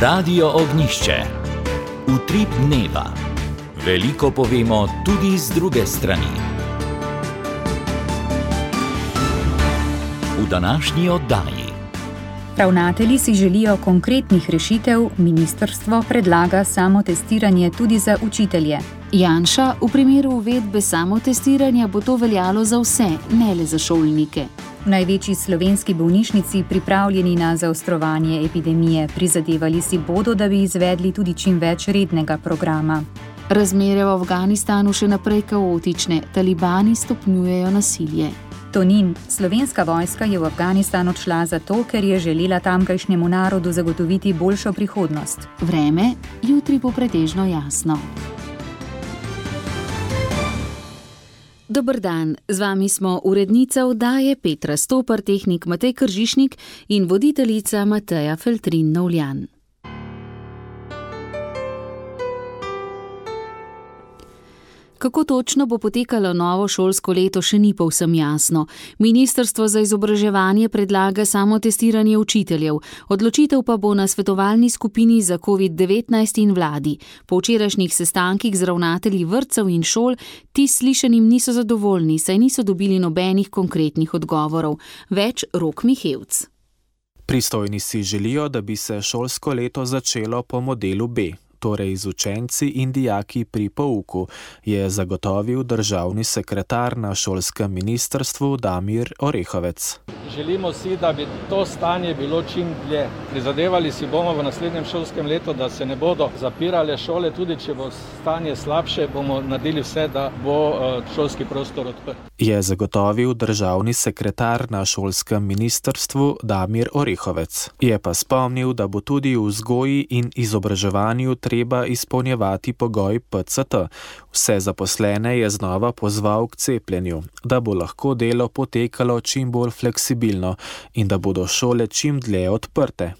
Radio Ognjišče. Utrip dneva. Veliko povemo tudi z druge strani. V današnji oddaji. Ravnatelji si želijo konkretnih rešitev, ministrstvo predlaga samotestiranje tudi za učitelje. Janša, v primeru uvedbe samotestiranja bo to veljalo za vse, ne le za šolnike. V največji slovenski bolnišnici pripravljeni na zaostrovanje epidemije, prizadevali si bodo, da bi izvedli tudi čim več rednega programa. Razmere v Afganistanu še naprej kaotične, talibani stopnjujejo nasilje. Tonin, slovenska vojska je v Afganistan odšla zato, ker je želela tamkajšnjemu narodu zagotoviti boljšo prihodnost. Vreme, jutri bo pretežno jasno. Dober dan, z vami smo urednica oddaje Petra Stopar, tehnik Matej Kržišnik in voditeljica Mateja Feltrin-Novljan. Kako točno bo potekalo novo šolsko leto, še ni povsem jasno. Ministrstvo za izobraževanje predlaga samotestiranje učiteljev. Odločitev pa bo na svetovalni skupini za COVID-19 in vladi. Po včerajšnjih sestankih z ravnatelji vrtcev in šol ti slišanim niso zadovoljni, saj niso dobili nobenih konkretnih odgovorov. Več Rok Mihevc. Pristojni si želijo, da bi se šolsko leto začelo po modelu B. Torej z učenci in dijaki pri pouku, je zagotovil državni sekretar na šolskem ministrstvu Damir Orehovec. Želimo si, da bi to stanje bilo čim dlje. Prizadevali si bomo v naslednjem šolskem letu, da se ne bodo zapirale šole, tudi če bo stanje slabše, bomo naredili vse, da bo šolski prostor odprt. Je zagotovil državni sekretar na šolskem ministrstvu Damir Orehovec. Je pa spomnil, da bo tudi v vzgoji in izobraževanju treba izpolnjevati pogoj PCT. Vse zaposlene je znova pozval k cepljenju, da bo lahko delo potekalo čim bolj fleksibilno in da bodo šole čim dlje odprte.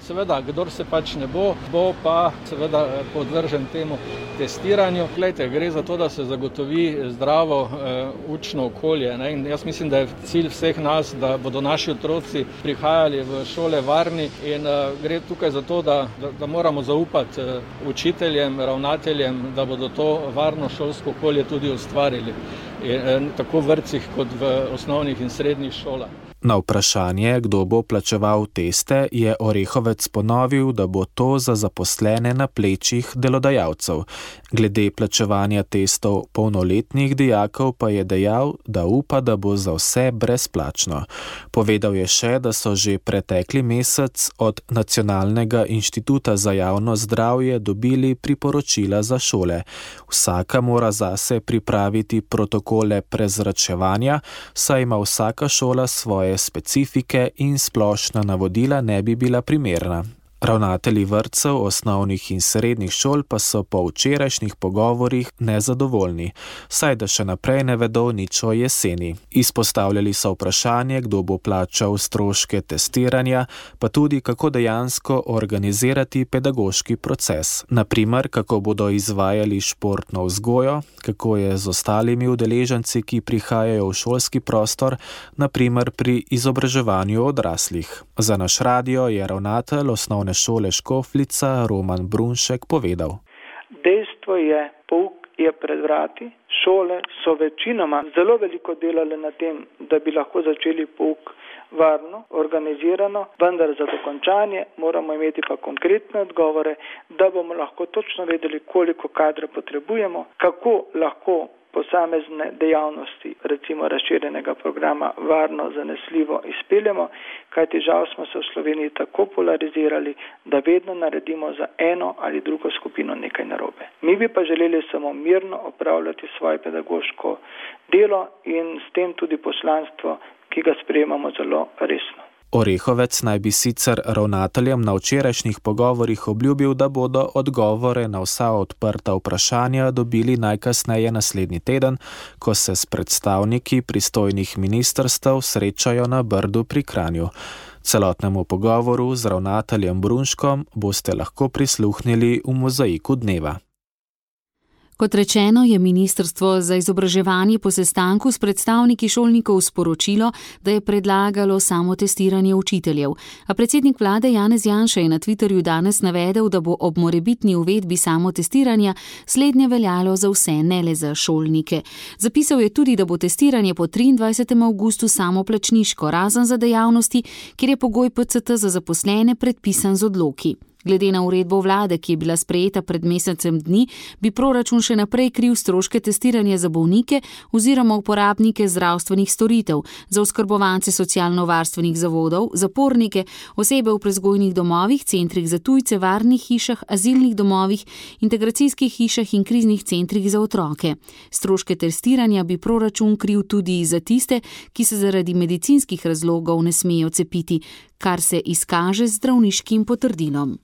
Seveda, kdor se pač ne bo pa seveda podvržen temu testiranju. Glejte, gre za to, da se zagotovi zdravo učno okolje. Ne? In jaz mislim, da je cilj vseh nas, da bodo naši otroci prihajali v šole varni in gre tukaj za to, da moramo zaupati učiteljem, ravnateljem, da bodo to varno šolsko okolje tudi ustvarili. Tako v vrtcih kot v osnovnih in srednjih šolah. Na vprašanje, kdo bo plačeval teste, je Orehovec ponovil, da bo to za zaposlene na plečih delodajalcev. Glede plačevanja testov polnoletnih dijakov pa je dejal, da upa, da bo za vse brezplačno. Povedal je še, da so že pretekli mesec od Nacionalnega inštituta za javno zdravje dobili priporočila za šole. Vsaka mora zase pripraviti protokole prezračevanja, saj ima vsaka šola svoje specifike in splošna navodila ne bi bila primerna. Ravnatelji vrtcev, osnovnih in srednjih šol pa so po včerajšnjih pogovorih nezadovoljni, saj da še naprej ne vedo nič o jeseni. Izpostavljali so vprašanje, kdo bo plačal stroške testiranja, pa tudi kako dejansko organizirati pedagoški proces. Naprimer, kako bodo izvajali športno vzgojo, kako je z ostalimi udeleženci, ki prihajajo v šolski prostor, naprimer pri izobraževanju odraslih. Za naš radio je ravnatelj osnovne šole Škofljica Roman Brunšek povedal. Dejstvo je, pouk je pred vrati, šole so večinoma zelo veliko delale na tem, da bi lahko začeli pouk varno, organizirano, vendar za dokončanje moramo imeti pa konkretne odgovore, da bomo lahko točno vedeli, koliko kadra potrebujemo, kako lahko posamezne dejavnosti, recimo razširjenega programa, varno, zanesljivo izpeljemo, kajti žal smo se v Sloveniji tako polarizirali, da vedno naredimo za eno ali drugo skupino nekaj narobe. Mi bi pa želeli samo mirno opravljati svoje pedagoško delo in s tem tudi poslanstvo, ki ga sprejemamo zelo resno. Orehovec naj bi sicer ravnateljem na včerajšnjih pogovorih obljubil, da bodo odgovore na vsa odprta vprašanja dobili najkasneje naslednji teden, ko se s predstavniki pristojnih ministrstev srečajo na Brdu pri Kranju. Celotnemu pogovoru z ravnateljem Brunškom boste lahko prisluhnili v Mozaiku dneva. Kot rečeno, je Ministrstvo za izobraževanje po sestanku s predstavniki šolnikov sporočilo, da je predlagalo samotestiranje učiteljev. A predsednik vlade Janez Janša je na Twitterju danes navedel, da bo ob morebitni uvedbi samotestiranja slednje veljalo za vse, ne le za šolnike. Zapisal je tudi, da bo testiranje po 23. avgustu samoplačniško, razen za dejavnosti, kjer je pogoj PCT za zaposlene predpisan z odloki. Glede na uredbo vlade, ki je bila sprejeta pred mesecem dni, bi proračun še naprej kril stroške testiranja za bolnike oziroma uporabnike zdravstvenih storitev, za oskrbovance socialno-varstvenih zavodov, zapornike, osebe v prevzgojnih domovih, centrih za tujce, varnih hišah, azilnih domovih, integracijskih hišah in kriznih centrih za otroke. Stroške testiranja bi proračun kril tudi za tiste, ki se zaradi medicinskih razlogov ne smejo cepiti, kar se izkaže z zdravniškim potrdilom.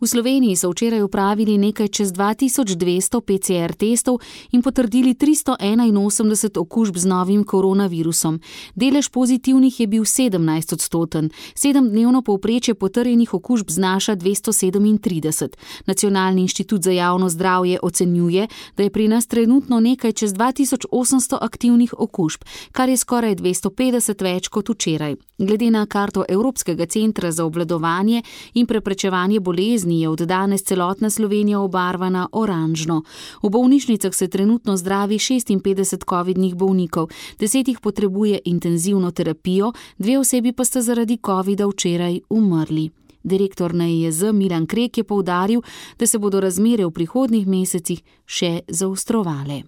V Sloveniji so včeraj opravili nekaj čez 2200 PCR testov in potrdili 381 okužb z novim koronavirusom. Delež pozitivnih je bil 17%. 7-dnevno povprečje potrjenih okužb znaša 237. Nacionalni inštitut za javno zdravje ocenjuje, da je pri nas trenutno nekaj čez 2800 aktivnih okužb, kar je skoraj 250 več kot včeraj. Glede na karto Evropskega centra za obvladovanje in preprečevanje bolezni je od danes celotna Slovenija obarvana oranžno. V bolnišnicah se trenutno zdravi 56 covidnih bolnikov, 10 jih potrebuje intenzivno terapijo, 2 osebi pa sta zaradi covida včeraj umrli. Direktor NIJZ Milan Krek je poudaril, da se bodo razmere v prihodnjih mesecih še zaostrovale.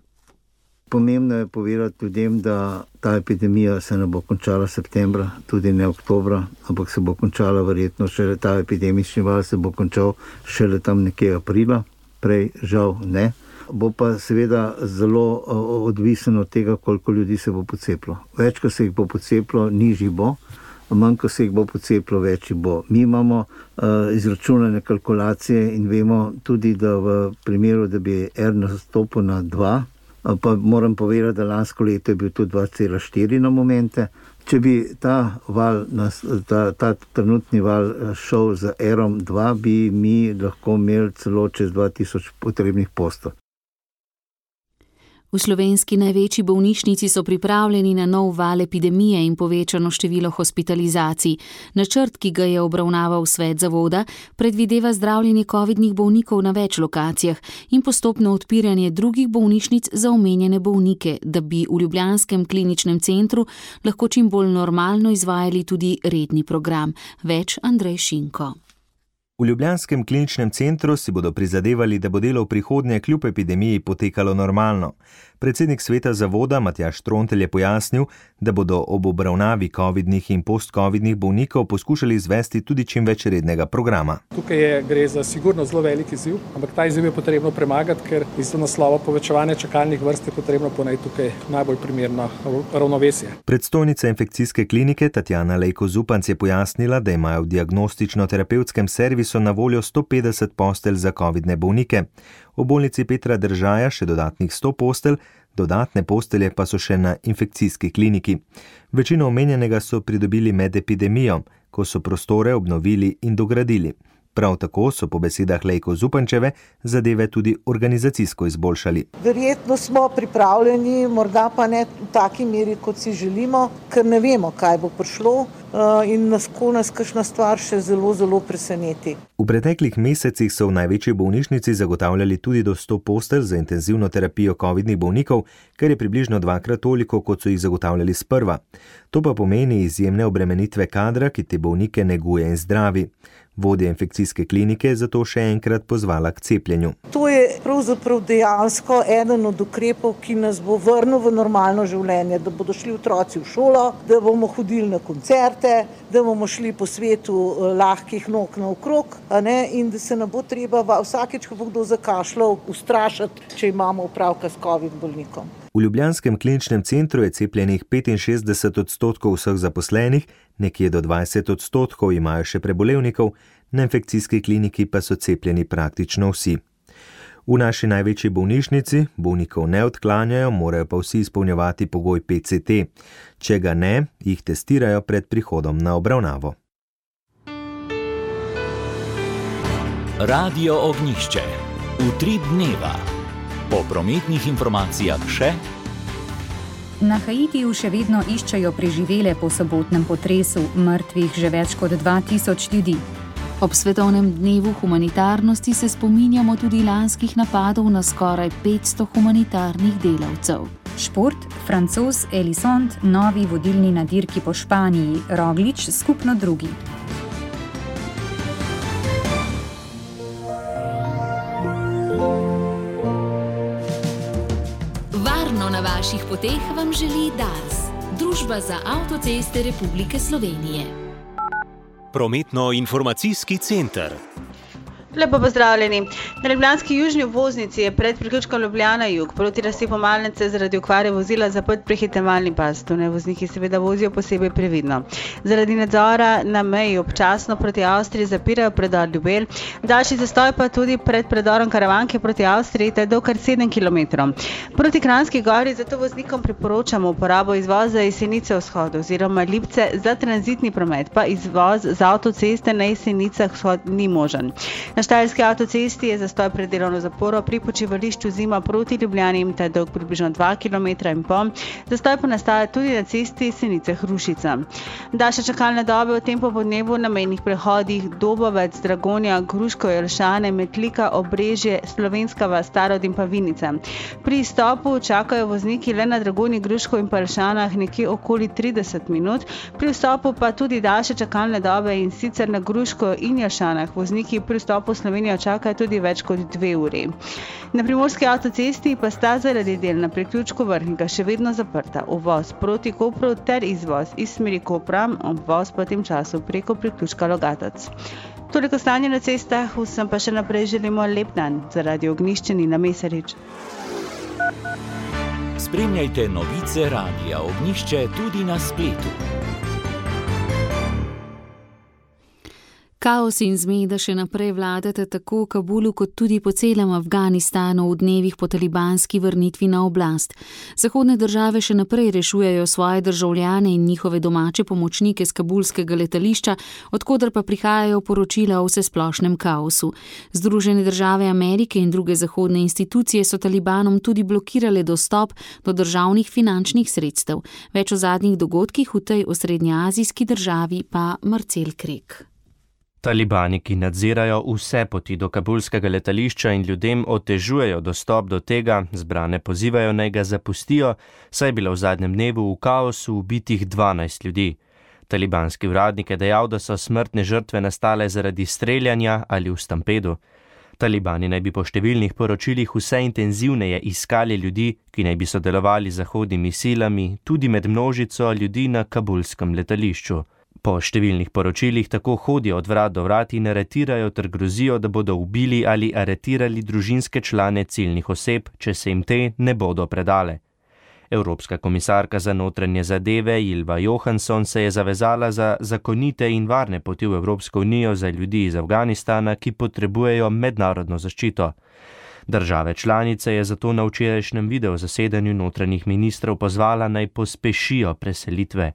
Pomembno je povedati ljudem, da ta epidemija se ne bo končala septembra, tudi ne oktobra, ampak se bo končala verjetno šele, ta epidemični val se bo končal šele tam nekje aprila, prej žal ne. Bo pa seveda zelo odvisen od tega, koliko ljudi se bo pocepilo. Več, ko se jih bo pocepilo, nižji bo, manj, ko se jih bo pocepilo, večji bo. Mi imamo izračunane kalkulacije in vemo tudi, da v primeru, da bi R nastopil na 2, pa moram povedati, da lansko leto je bil tudi 2,4 na momente. Če bi ta trenutni val šel z R-om 2, bi mi lahko imeli celo čez 2000 potrebnih postelj. V slovenski največji bolnišnici so pripravljeni na nov val epidemije in povečano število hospitalizacij. Načrt, ki ga je obravnaval svet zavoda, predvideva zdravljenje covidnih bolnikov na več lokacijah in postopno odpiranje drugih bolnišnic za omenjene bolnike, da bi v ljubljanskem kliničnem centru lahko čim bolj normalno izvajali tudi redni program. Več Andrej Šinko. V ljubljanskem kliničnem centru si bodo prizadevali, da bo delo v prihodnje kljub epidemiji potekalo normalno. Predsednik sveta zavoda Matjaž Trontelj je pojasnil, da bodo ob obravnavi covidnih in post-covidnih bolnikov poskušali izvesti tudi čim več rednega programa. Tukaj gre za sigurno zelo velik izziv, ampak ta izziv je potrebno premagati, ker iz naslova povečevanja čakalnih vrst je potrebno ponajti tukaj najbolj primerno ravnovesje. Predstojnica infekcijske klinike Tatjana Lejko Zupanc je pojasnila, da imajo v diagnostično-terapevtskem servisu na voljo 150 postelj za covidne bolnike. V bolnici Petra Držaja še dodatnih 100 postelj, dodatne postelje pa so še na infekcijski kliniki. Večino omenjenega so pridobili med epidemijo, ko so prostore obnovili in dogradili. Prav tako so po besedah Lejko Zupančeve zadeve tudi organizacijsko izboljšali. Verjetno smo pripravljeni, morda pa ne v taki meri, kot si želimo, ker ne vemo, kaj bo prišlo in nas kakšna stvar še zelo preseneti. V preteklih mesecih so v največji bolnišnici zagotavljali tudi do 100 postelj za intenzivno terapijo covidnih bolnikov, kar je približno 2-krat toliko, kot so jih zagotavljali sprva. To pa pomeni izjemne obremenitve kadra, ki te bolnike neguje in zdravi. Vodja infekcijske klinike je zato še enkrat pozvala k cepljenju. To je pravzaprav dejansko eden od ukrepov, ki nas bo vrnil v normalno življenje, da bodo šli otroci v šolo, da bomo hodili na koncerte, da bomo šli po svetu lahkih nog naokrog, in da se ne bo treba vsakeč, ko bo kdo zakašljal, ustrašiti, če imamo opravka s covid bolnikom. V ljubljanskem kliničnem centru je cepljenih 65% vseh zaposlenih, nekje do 20% imajo še prebolevnikov, na infekcijski kliniki pa so cepljeni praktično vsi. V naši največji bolnišnici bolnikov ne odklanjajo, morajo pa vsi izpolnjevati pogoj PCT. Če ga ne, jih testirajo pred prihodom na obravnavo. Radio Ognjišče. Utrip dneva. Po prometnih informacijah še. Na Haitiju še vedno iščejo preživele po sobotnem potresu, mrtvih že več kot 2000 ljudi. Ob svetovnem dnevu humanitarnosti se spominjamo tudi lanskih napadov na skoraj 500 humanitarnih delavcev. Šport, Francoz Elisond, novi vodilni na dirki po Španiji, Roglič skupno drugi. Varno na vaših poteh vam želi Dars, Družba za avtoceste Republike Slovenije. Prometno-informacijski center. Lepo pozdravljeni. Na ljubljanski južni obvoznici je pred priključkom Ljubljana jug proti rasi Pomalnice zaradi okvare vozila zaprt prehitevalni pas. Tone vozniki seveda vozijo posebej previdno. Zaradi nadzora na meji občasno proti Avstriji zapirajo predor Ljubelj, daljši zastoj pa tudi pred predorom Karavanke proti Avstriji, te do kar 7 km. Proti Kranjski gori zato voznikom priporočamo uporabo izvoza Jesenice vzhod oziroma Lipce, za tranzitni promet pa izvoz z avtoceste na Jesenicah vzhod ni možen. Na Štajerski avtocesti je zastoj pred delovno zaporo pri počivališču Zima proti Ljubljani, ta dolg približno 2,5 km. Zastoj pa nastaja tudi na cesti Senice-Hrušica. Daljše čakalne dobe v tem popodnevu na mejnih prehodih Dobovec, Dragonja, Gruško, Jelšane, Metlika, Obrežje, Slovenska vas, Starod in pa Vinica. Pri izstopu čakajo vozniki le na Dragonji, Gruško in pa Jelšanah nekje okoli 30 minut, pri vstopu pa tudi daljše čakalne dobe in sicer na Gruško in Jelšanah. Vozniki pri vstopu v Slovenijo čakajo tudi več kot 2 uri. Na Primorski avtocesti pa sta zaradi del na priključku Vrhnika še vedno zaprta. Uvoz proti Kopru ter izvoz iz smeri Kopra, uvoz pa v tem času preko priključka Logatec. Toliko stanje na cestah, vsem pa še naprej želimo lep dan. Zaradi Ognjišče Nina Mesarič. Spremljajte novice Radia Ognjišče tudi na spletu. Kaos in zmeda še naprej vladata tako v Kabulu kot tudi po celem Afganistanu v dnevih po talibanski vrnitvi na oblast. Zahodne države še naprej rešujejo svoje državljane in njihove domače pomočnike z kabulskega letališča, odkoder pa prihajajo poročila o vsesplošnem kaosu. Združene države Amerike in druge zahodne institucije so talibanom tudi blokirale dostop do državnih finančnih sredstev. Več o zadnjih dogodkih v tej osrednjeazijski državi pa Marcel Krek. Talibani, ki nadzirajo vse poti do kabulskega letališča in ljudem otežujejo dostop do tega, zbrane pozivajo naj ga zapustijo, saj je bilo v zadnjem dnevu v kaosu ubitih 12 ljudi. Talibanski uradnik je dejal, da so smrtne žrtve nastale zaradi streljanja ali v stampedu. Talibani naj bi po številnih poročilih vse intenzivneje iskali ljudi, ki naj bi sodelovali z zahodnimi silami, tudi med množico ljudi na kabulskem letališču. Po številnih poročilih tako hodijo od vrat do vrat in aretirajo ter grozijo, da bodo ubili ali aretirali družinske člane ciljnih oseb, če se jim te ne bodo predale. Evropska komisarka za notranje zadeve Ylva Johansson se je zavezala za zakonite in varne poti v Evropsko unijo za ljudi iz Afganistana, ki potrebujejo mednarodno zaščito. Države članice je zato na včerajšnjem videozasedanju notranjih ministrov pozvala naj pospešijo preselitve.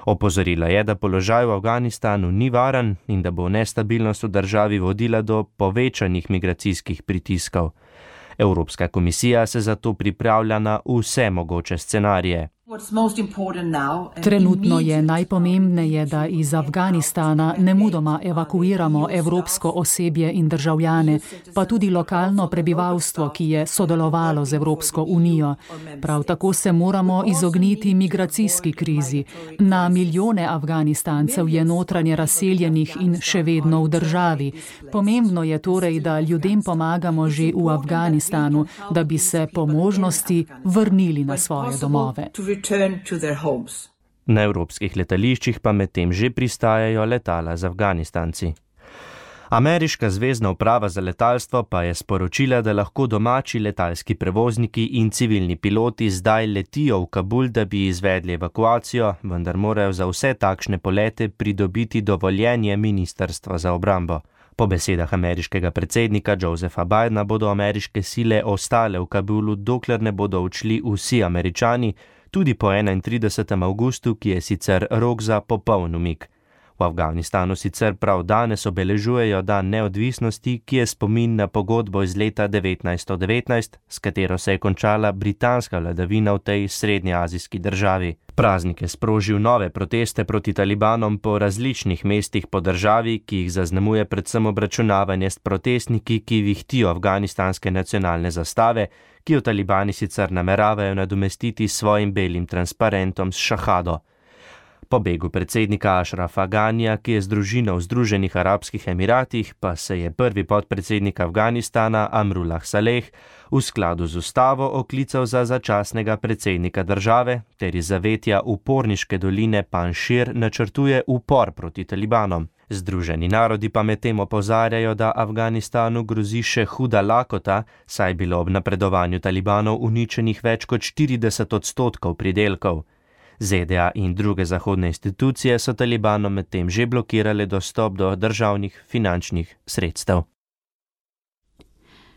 Opozorila je, da položaj v Afganistanu ni varen in da bo nestabilnost v državi vodila do povečanih migracijskih pritiskov. Evropska komisija se zato pripravlja na vse mogoče scenarije. Trenutno je najpomembneje, da iz Afganistana nemudoma evakuiramo evropsko osebje in državljane, pa tudi lokalno prebivalstvo, ki je sodelovalo z Evropsko unijo. Prav tako se moramo izogniti migracijski krizi. Na milijone Afganistancev je notranje razseljenih in še vedno v državi. Pomembno je torej, da ljudem pomagamo že v Afganistanu, da bi se po možnosti vrnili na svoje domove. Na evropskih letališčih pa medtem že pristajajo letala z Afganistanci. Ameriška zvezna uprava za letalstvo pa je sporočila, da lahko domači letalski prevozniki in civilni piloti zdaj letijo v Kabul, da bi izvedli evakuacijo, vendar morajo za vse takšne polete pridobiti dovoljenje Ministrstva za obrambo. Po besedah ameriškega predsednika Josepha Bidena bodo ameriške sile ostale v Kabulu, dokler ne bodo odšli vsi Američani, tudi po 31. avgustu, ki je sicer rok za popoln umik. V Afganistanu sicer prav danes obeležujejo dan neodvisnosti, ki je spomin na pogodbo iz leta 1919, s katero se je končala britanska vladavina v tej srednjeazijski državi. Praznik je sprožil nove proteste proti talibanom po različnih mestih po državi, ki jih zaznamuje predvsem obračunavanje s protestniki, ki vihtijo afganistanske nacionalne zastave, ki jo talibani sicer nameravajo nadomestiti s svojim belim transparentom s šahado. Po begu predsednika Ašrafa Ganija, ki je z družino v Združenih arabskih emiratih, pa se je prvi podpredsednik Afganistana Amrullah Saleh v skladu z ustavo oklical za začasnega predsednika države ter iz zavetja uporniške doline Panšir načrtuje upor proti talibanom. Združeni narodi pa medtem opozarjajo, da Afganistanu grozi še huda lakota, saj je bilo ob napredovanju talibanov uničenih več kot 40% pridelkov. ZDA in druge zahodne institucije so talibanom medtem že blokirale dostop do državnih finančnih sredstev.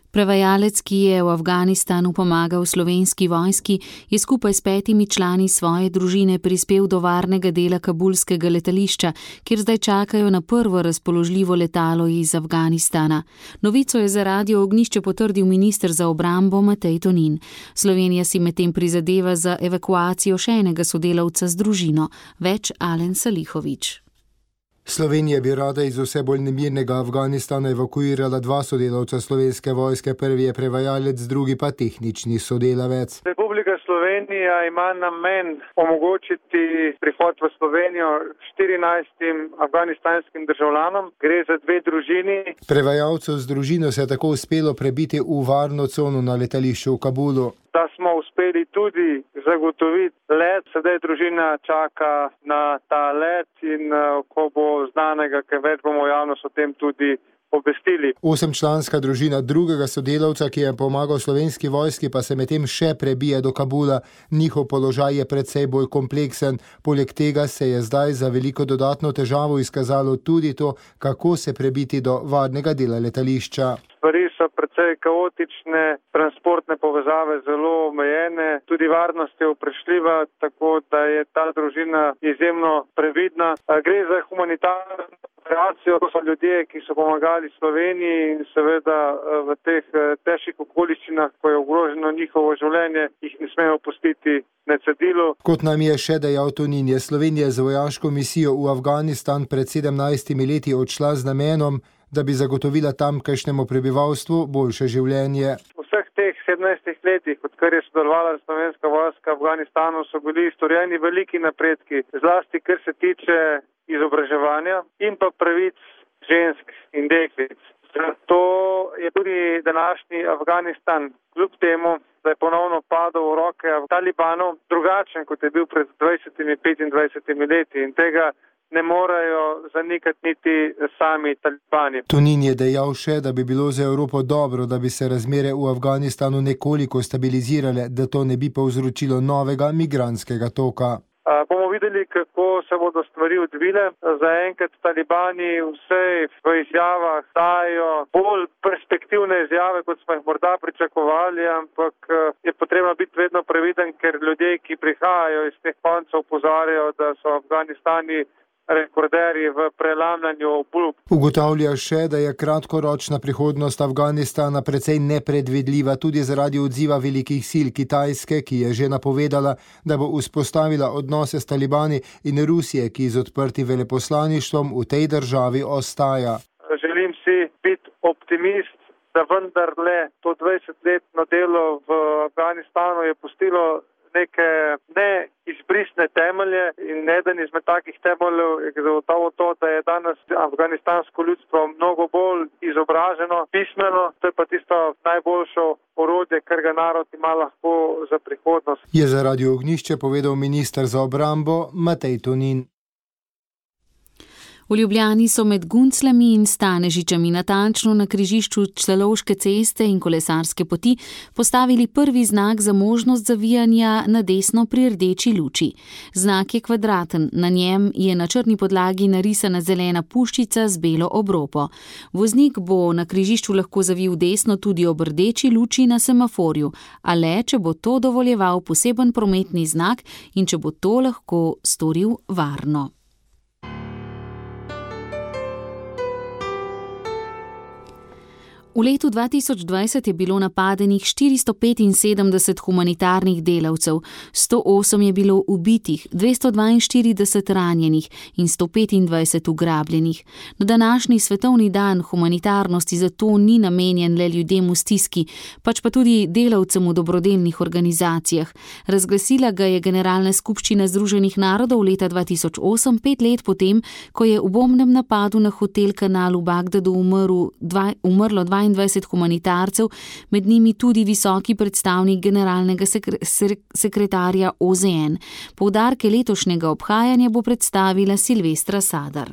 Prevajalec, ki je v Afganistanu pomagal slovenski vojski, je skupaj s 5 člani svoje družine prispel do varnega dela kabulskega letališča, kjer zdaj čakajo na prvo razpoložljivo letalo iz Afganistana. Novico je za Radio Ognjišče potrdil minister za obrambo Matej Tonin. Slovenija si medtem prizadeva za evakuacijo še enega sodelavca z družino, več Alen Salihović. Slovenija bi rada iz vse bolj nemirnega Afganistana evakuirala 2 sodelavca slovenske vojske, prvi je prevajalec, drugi pa tehnični sodelavec. Republika Slovenija ima namen omogočiti prihod v Slovenijo 14 afganistanskim državljanom. Gre za 2 družini. Prevajalcev z družino se je tako uspelo prebiti v varno cono na letališču v Kabulu. Da smo uspeli tudi zagotoviti let, sedaj družina čaka na ta let in ko bo znanega, kaj več bomo javnost o tem tudi obvestili. 8-članska družina drugega sodelavca, ki je pomagal slovenski vojski, pa se medtem še prebije do Kabula. Njihov položaj je precej bolj kompleksen. Poleg tega se je zdaj za veliko dodatno težavo izkazalo tudi to, kako se prebiti do varnega dela letališča. Stvari so precej kaotične, transportne povezave zelo omejene, tudi varnost je vprašljiva, tako da je ta družina izjemno previdna. Gre za humanitarno operacijo, to so ljudje, ki so pomagali Sloveniji in seveda v teh težkih okoliščinah, ko je ogroženo njihovo življenje, jih ne smemo pustiti na cedilu. Kot nam je še dejal Tonin, je Slovenija z vojaško misijo v Afganistan pred 17 leti odšla z namenom, da bi zagotovila tamkajšnjemu prebivalstvu boljše življenje. V vseh teh 17 letih, odkar je sodelovala slovenska vojska v Afganistanu, so bili storjeni veliki napredki, zlasti kar se tiče izobraževanja in pa pravic žensk in deklic. Zato je tudi današnji Afganistan, kljub temu, da je ponovno padel v roke talibanov, drugačen, kot je bil pred 20-25 leti in tega ne morejo zanikati niti sami talibani. Tonin je dejal še, da bi bilo za Evropo dobro, da bi se razmere v Afganistanu nekoliko stabilizirale, da to ne bi povzročilo novega migrantskega toka. Bomo videli, kako se bodo stvari odvile. Zaenkrat talibani vse v izjavah dajo bolj perspektivne izjave, kot smo jih morda pričakovali, ampak je potrebno biti vedno previden, ker ljudje, ki prihajajo iz teh koncev, opozarjajo, da so Afganistani rekorderji v prelamljanju obljub. Ugotavlja še, da je kratkoročna prihodnost Afganistana precej nepredvidljiva tudi zaradi odziva velikih sil Kitajske, ki je že napovedala, da bo vzpostavila odnose s talibani, in Rusije, ki z odprtim veleposlaništvom v tej državi ostaja. Želim si biti optimist, da vendarle to 20-letno delo v Afganistanu je pustilo neke neizbrisne temelje in eden izmed takih temeljev je zagotovo to, da je danes afganistansko ljudstvo mnogo bolj izobraženo, pismeno, to je pa tisto najboljše orodje, kar ga narod ima lahko za prihodnost. Je za Radio Ognjišče povedal minister za obrambo Matej Tonin. V Ljubljani so med Guncljami in Stanežičami natančno na križišču Celovške ceste in kolesarske poti postavili prvi znak za možnost zavijanja na desno pri rdeči luči. Znak je kvadraten, na njem je na črni podlagi narisana zelena puščica z belo obropo. Voznik bo na križišču lahko zavil desno tudi ob rdeči luči na semaforju, a le, če bo to dovoljeval poseben prometni znak in če bo to lahko storil varno. V letu 2020 je bilo napadenih 475 humanitarnih delavcev, 108 je bilo ubitih, 242 ranjenih in 125 ugrabljenih. Na današnji svetovni dan humanitarnosti zato ni namenjen le ljudem v stiski, pač pa tudi delavcem v dobrodelnih organizacijah. Razglasila ga je Generalna skupščina Združenih narodov leta 2008, 5 let potem, ko je v bombnem napadu na hotel Kanal v Bagdadu umrlo 22 humanitarcev, med njimi tudi visoki predstavnik generalnega sekretarja OZN. Poudarke letošnjega obhajanja bo predstavila Silvestra Sadar.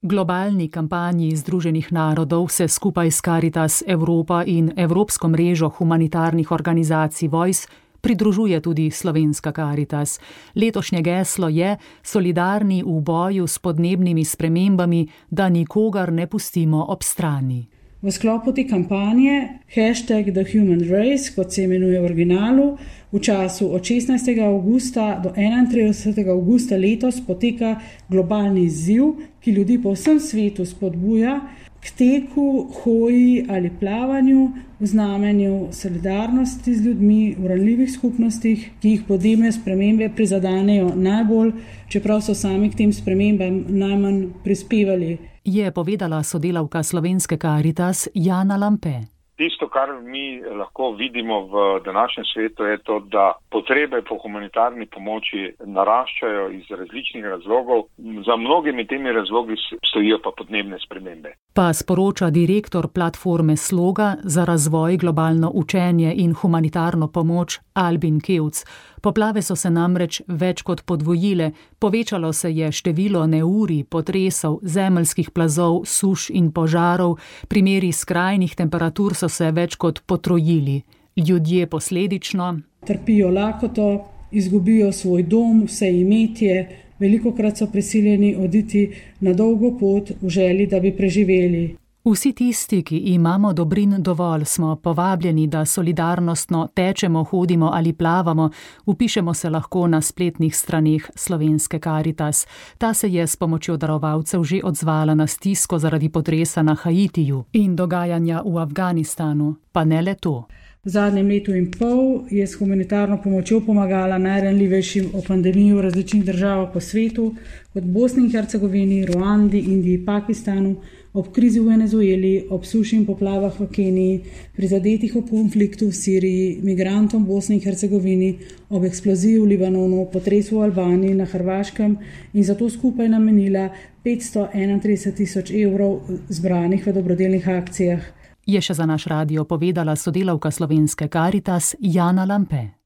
Globalni kampanji Združenih narodov se skupaj s Caritas Evropa in Evropsko mrežo humanitarnih organizacij Voice pridružuje tudi slovenska Caritas. Letošnje geslo je solidarni v boju s podnebnimi spremembami, da nikogar ne pustimo ob strani. V sklopu te kampanje #TheHumanRace, kot se imenuje v originalu, v času od 16. avgusta do 31. avgusta letos poteka globalni izziv, ki ljudi po vsem svetu spodbuja k teku, hoji ali plavanju v znamenju solidarnosti z ljudmi v ranljivih skupnostih, ki jih podnebne spremembe prizadanejo najbolj, čeprav so sami k tem spremembam najmanj prispevali. Je povedala sodelavka slovenske Caritas Jana Lampe. Tisto, kar mi lahko vidimo v današnjem svetu, je to, da potrebe po humanitarni pomoči naraščajo iz različnih razlogov. Za mnogimi temi razlogi stojijo pa podnebne spremembe. Pa sporoča direktor platforme Sloga za razvoj, globalno učenje in humanitarno pomoč Albin Kevc. Poplave so se namreč več kot podvojile, povečalo se je število neurij, potresov, zemeljskih plazov, suš in požarov, primeri skrajnih temperatur so se več kot potrojili. Ljudje posledično trpijo lakoto, izgubijo svoj dom, vse imetje, velikokrat so prisiljeni oditi na dolgo pot v želji, da bi preživeli. Vsi tisti, ki imamo dobrin dovolj, smo povabljeni, da solidarnostno tečemo, hodimo ali plavamo, vpišemo se lahko na spletnih straneh slovenske Caritas. Ta se je s pomočjo darovalcev že odzvala na stisko zaradi potresa na Haitiju in dogajanja v Afganistanu, pa ne le to. V zadnjem letu in pol je s humanitarno pomočjo pomagala najranljivejšim o pandemiji v različnih državah po svetu, kot Bosni in Hercegovini, Ruandi, Indiji, Pakistanu, ob krizi v Venezueli, ob suši in poplavah v Keniji, prizadetih ob konfliktu v Siriji, migrantom v Bosni in Hercegovini, ob eksploziji v Libanonu, potresu v Albaniji, na Hrvaškem in zato skupaj namenila 531.000 evrov zbranih v dobrodelnih akcijah. Je še za naš radio povedala sodelavka slovenske Caritas Jana Lampe.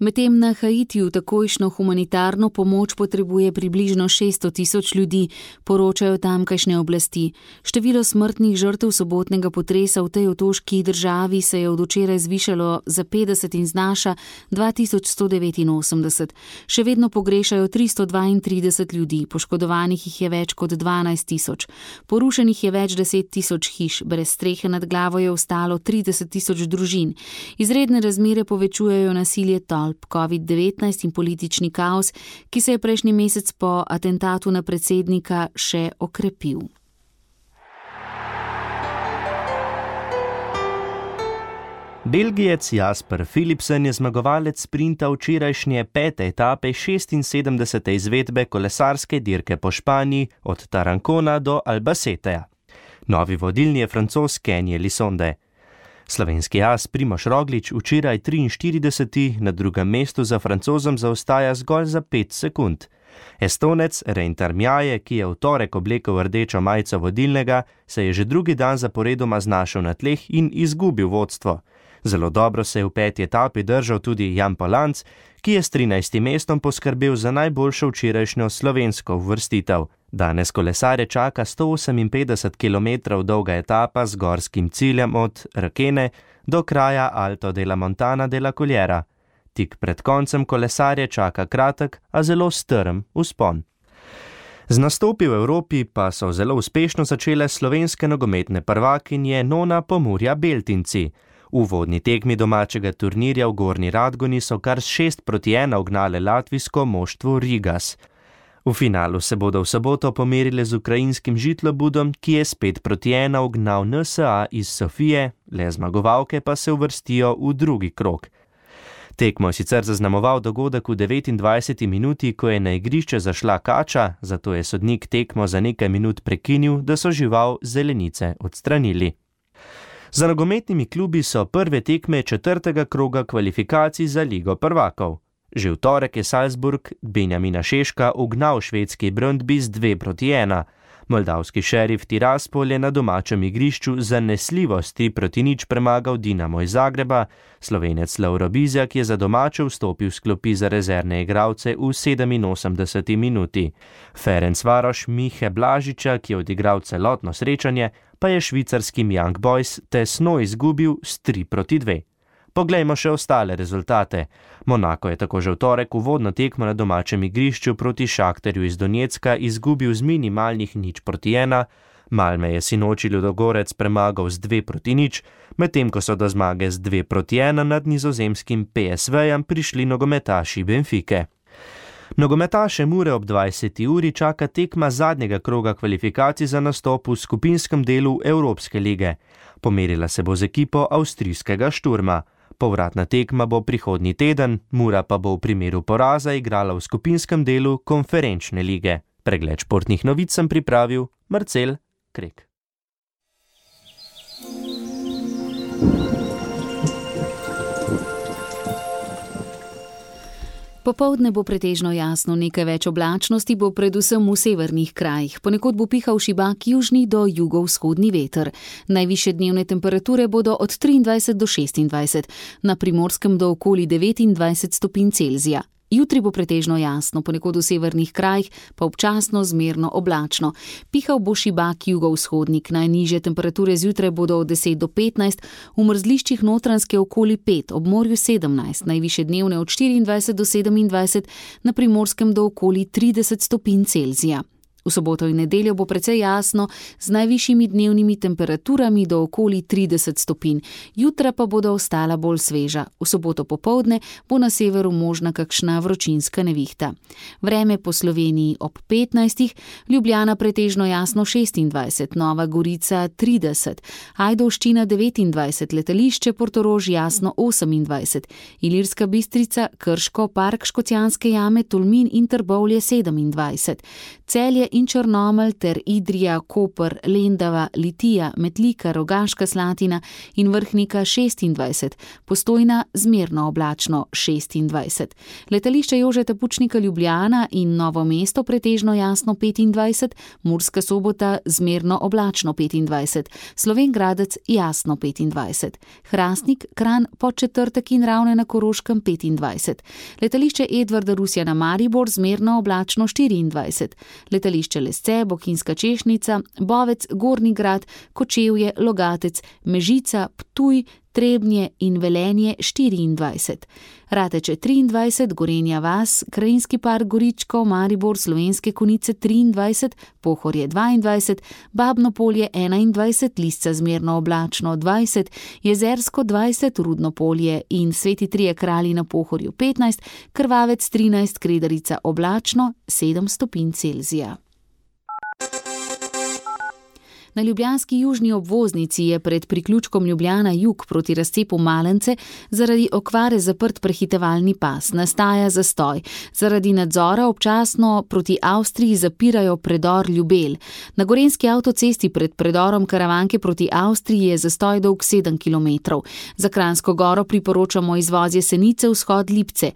Medtem na Haitiju takojšnjo humanitarno pomoč potrebuje približno 600.000 ljudi, poročajo tamkajšnje oblasti. Število smrtnih žrtev sobotnega potresa v tej otoški državi se je od včeraj zvišalo za 50 in znaša 2189. Še vedno pogrešajo 332 ljudi, poškodovanih jih je več kot 12.000. Porušenih je več 10.000 hiš, brez strehe nad glavo je ostalo 30.000 družin. Izredne razmere povečujejo nasilje tolp, COVID-19 in politični kaos, ki se je prejšnji mesec po atentatu na predsednika še okrepil. Belgijec Jasper Philipsen je zmagovalec sprinta včerajšnje 5. etape 76. izvedbe kolesarske dirke po Španiji od Tarancona do Albaceteja. Novi vodilni je Francoz Kenny Elissonde. Slovenski as Primož Roglič včeraj 43. na drugem mestu za Francozom zaostaja zgolj za 5 sekund. Estonec Rein Tarmjaje, ki je v torek oblekel rdečo majico vodilnega, se je že drugi dan zaporedoma znašel na tleh in izgubil vodstvo. Zelo dobro se je v 5. etapi držal tudi Jan Polanc, ki je s 13. mestom poskrbel za najboljšo včerajšnjo slovensko uvrstitev. Danes kolesarje čaka 158 km dolga etapa z gorskim ciljem od Requene do kraja Alto de la Montana de la Cullera. Tik pred koncem kolesarje čaka kratek, a zelo strm vzpon. Z nastopi v Evropi pa so zelo uspešno začele slovenske nogometne prvakinje Nona Pomurja Beltinci. V uvodni tekmi domačega turnirja v Gornji Radgoni so kar 6-1 ugnale latvijsko moštvo Rigas. V finalu se bodo v soboto pomerile z ukrajinskim Žitlobudom, ki je spet proti 1 ugnal NSA iz Sofije, le zmagovalke pa se uvrstijo v drugi krog. Tekmo je sicer zaznamoval dogodek v 29. minuti, ko je na igrišče zašla kača, zato je sodnik tekmo za nekaj minut prekinil, da so žival zelenice odstranili. Za nogometnimi klubi so prve tekme 4. kroga kvalifikacij za Ligo prvakov. Že v torek je Salzburg Benjamina Šeška ugnal švedski Brøndby z 2-1. Moldavski Šerif Tiraspol je na domačem igrišču zanesljivo s 3-0 premagal Dinamo iz Zagreba, Slovenec Lovro Bizjak je za domače vstopil s klopi za rezervne igralce v 87. minuti. Ferencvaroš Mihe Blažiča, ki je odigral celotno srečanje, pa je švicarskim Young Boys tesno izgubil s 3-2. Poglejmo še ostale rezultate. Monako je tako že v torek uvodno tekmo na domačem igrišču proti Šakterju iz Donjecka izgubil z minimalnih 0-1, Malme je sinoči Ludogorec premagal z 2-0, medtem ko so do zmage z 2-1 nad nizozemskim PSV-jem prišli nogometaši Benfike. Nogometaše Mure ob 20. uri čaka tekma zadnjega kroga kvalifikacij za nastop v skupinskem delu Evropske lige. Pomerila se bo z ekipo avstrijskega Šturma. Povratna tekma bo prihodnji teden, Mura pa bo v primeru poraza igrala v skupinskem delu konferenčne lige. Pregled športnih novic sem pripravil Marcel Krek. Popoldne bo pretežno jasno, nekaj več oblačnosti bo predvsem v severnih krajih. Ponekod bo pihal šibak južni do jugovzhodni veter. Najvišje dnevne temperature bodo od 23 do 26, na Primorskem do okoli 29 stopinj Celzija. Jutri bo pretežno jasno, ponekod v severnih krajih pa občasno zmerno oblačno. Pihal bo šibak jugovzhodnik, najnižje temperature zjutraj bodo od 10 do 15, v mrzliščih Notranjske okoli 5, ob morju 17, najvišje dnevne od 24 do 27, na Primorskem do okoli 30 stopinj Celzija. V soboto in nedeljo bo precej jasno, z najvišjimi dnevnimi temperaturami do okoli 30 stopinj. Jutra pa bodo ostala bolj sveža. V soboto popoldne bo na severu možna kakšna vročinska nevihta. Vreme po Sloveniji ob 15, Ljubljana pretežno jasno 26, Nova Gorica 30, Ajdovščina 29, letališče Portorož jasno 28, Ilirska Bistrica, Krško, Park Škocjanske jame, Tolmin in Trbovlje 27, Celje in Črnomelj ter Idrija, Koper, Lendava, Litija, Metlika, Rogaška Slatina in Vrhnika 26, Postojna zmerno oblačno 26. Letališče Jožeta Pučnika Ljubljana in Novo mesto pretežno jasno 25, Murska Sobota zmerno oblačno 25, Slovenj Gradec jasno 25, Hrastnik, Kranj, Podčetrtek in Ravne na Koroškem 25, letališče Edvarda Rusjana Maribor zmerno oblačno 24, letališče Lesce, Bohinjska Češnica, Bovec, Gornji Grad, Kočevje, Logatec, Mežica, Ptuj, Trebnje in Velenje 24, Rateče 23, Gorenja vas, Krajinski park Goričko, Maribor, Slovenske Konjice 23, Pohorje 22, Babno Polje 21, Lisca zmerno oblačno 20, Jezersko 20, Rudno Polje in Sveti Trije Kralji na Pohorju 15, Krvavec 13, Kredarica oblačno 7 stopinj Celzija. Na ljubljanski južni obvoznici je pred priključkom Ljubljana jug proti razcepu Malence zaradi okvare zaprt prehitevalni pas. Nastaja zastoj. Zaradi nadzora občasno proti Avstriji zapirajo predor Ljubelj. Na gorenjski avtocesti pred predorom Karavanke proti Avstriji je zastoj dolg 7 km. Za Kranjsko Goro priporočamo izvoz Jesenice vzhod Lipce.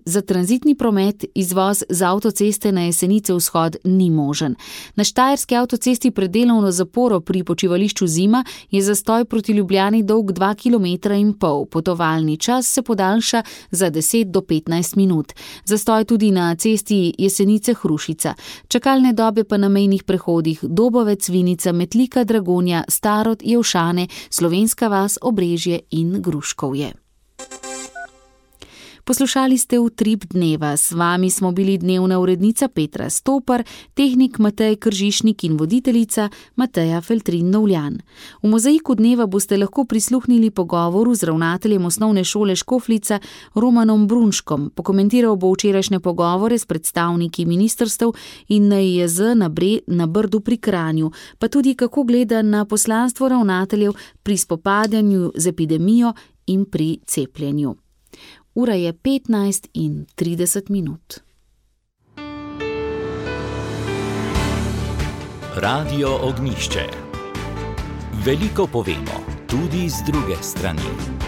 Za tranzitni promet izvoz z avtoceste na Jesenice vzhod ni možen. Na štajerski avtocesti pred delovno zaporo pri počivališču Zima je zastoj proti Ljubljani dolg 2,5 km. Potovalni čas se podaljša za 10 do 15 minut. Zastoj tudi na cesti Jesenice-Hrušica. Čakalne dobe pa na mejnih prehodih Dobovec, Vinica, Metlika, Dragonja, Starod, Jevšane, Slovenska vas, Obrežje in Gruškovje. Poslušali ste Utrip dneva. S vami smo bili dnevna urednica Petra Stopar, tehnik Matej Kržišnik in voditeljica Mateja Feltrin-Novljan. V Mozaiku dneva boste lahko prisluhnili pogovoru z ravnateljem osnovne šole Škofljica Romanom Brunškom. Pokomentiral bo včerajšnje pogovore s predstavniki ministrstev in NIJZ na Brdu pri Kranju, pa tudi kako gleda na poslanstvo ravnateljev pri spopadanju z epidemijo in pri cepljenju. Ura je 15:30. Radio Ognjišče. Veliko povemo, tudi z druge strani.